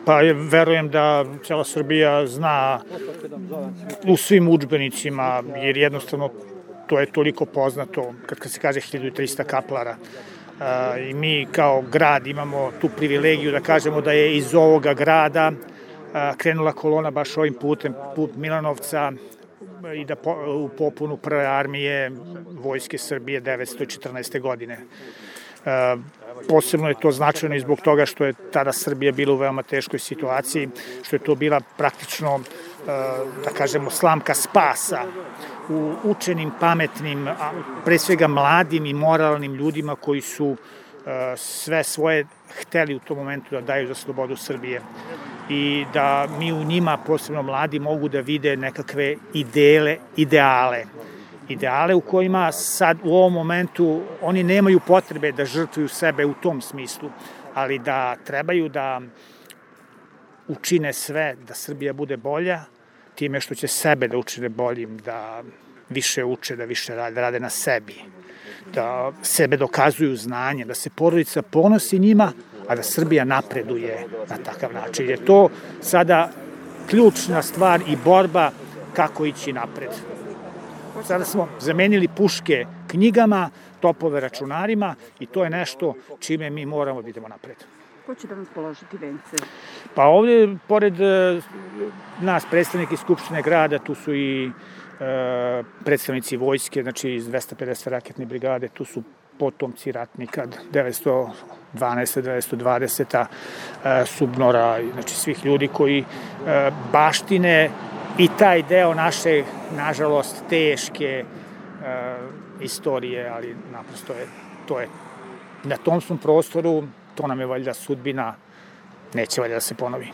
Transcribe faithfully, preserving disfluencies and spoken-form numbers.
Pa verujem da cela Srbija zna u svim udžbenicima, jer jednostavno to je toliko poznato, kad se kaže hiljadu trista kaplara. I mi kao grad imamo tu privilegiju da kažemo da je iz ovoga grada krenula kolona baš ovim putem, put Milanovca, i da u popunu prve armije Vojske Srbije devetsto četrnaeste. godine. Posebno je to značajno i zbog toga što je tada Srbija bila u veoma teškoj situaciji, što je to bila praktično, da kažemo, slamka spasa u učenim, pametnim, pre svega mladim i moralnim ljudima koji su sve svoje hteli u tom momentu da daju za slobodu Srbije i da mi u njima, posebno mladi, mogu da vide nekakve ideale, ideale. Ideale u kojima sad u ovom momentu oni nemaju potrebe da žrtvuju sebe u tom smislu, ali da trebaju da učine sve da Srbija bude bolja, time što će sebe da učine boljim, da više uče, da više rade, rade na sebi, da sebe dokazuju znanje, da se porodica ponosi njima, a da Srbija napreduje na takav način. Je to sada ključna stvar i borba kako ići napred. Sada smo zamenili puške knjigama, topove računarima i to je nešto čime mi moramo da idemo napred. Ko će da vam položiti vence? Pa ovde, pored nas, predstavniki Skupštine grada, tu su i predstavnici vojske, znači iz dvesta pedeset raketne brigade, tu su potomci ratnika devetsto dvanaeste. devetsto dvadesete. Subnora, znači svih ljudi koji baštine i taj deo naše, nažalost, teške istorije, ali naprosto je, to je, na tom smo prostoru, to nam je valjda sudbina, neće valjda da se ponovi.